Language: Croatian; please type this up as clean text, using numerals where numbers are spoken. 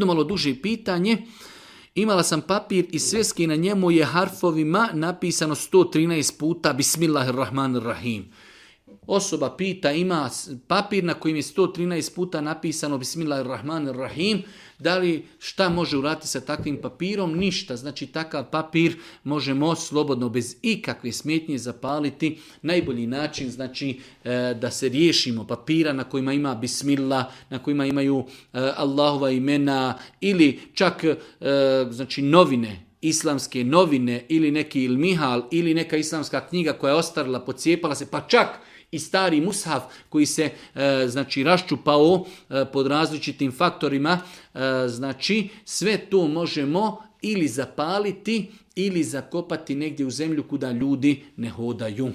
Malo duže pitanje. Imala sam papir i sveski, na njemu je harfovima napisano 113 puta Bismillahirrahmanirrahim. Osoba pita, ima papir na kojim je 113 puta napisano Bismillahirrahmanirrahim. Da li šta može uraditi sa takvim papirom? Ništa. Znači takav papir možemo slobodno bez ikakve smetnje zapaliti. Najbolji način znači da se riješimo papira na kojima ima Bismillah, na kojima imaju Allahova imena ili čak znači novine, islamske novine ili neki ilmihal ili neka islamska knjiga koja je ostarila, pocijepala se, pa čak i stari mushaf koji se znači raščupao pod različitim faktorima, znači sve to možemo ili zapaliti ili zakopati negdje u zemlju kuda ljudi ne hodaju.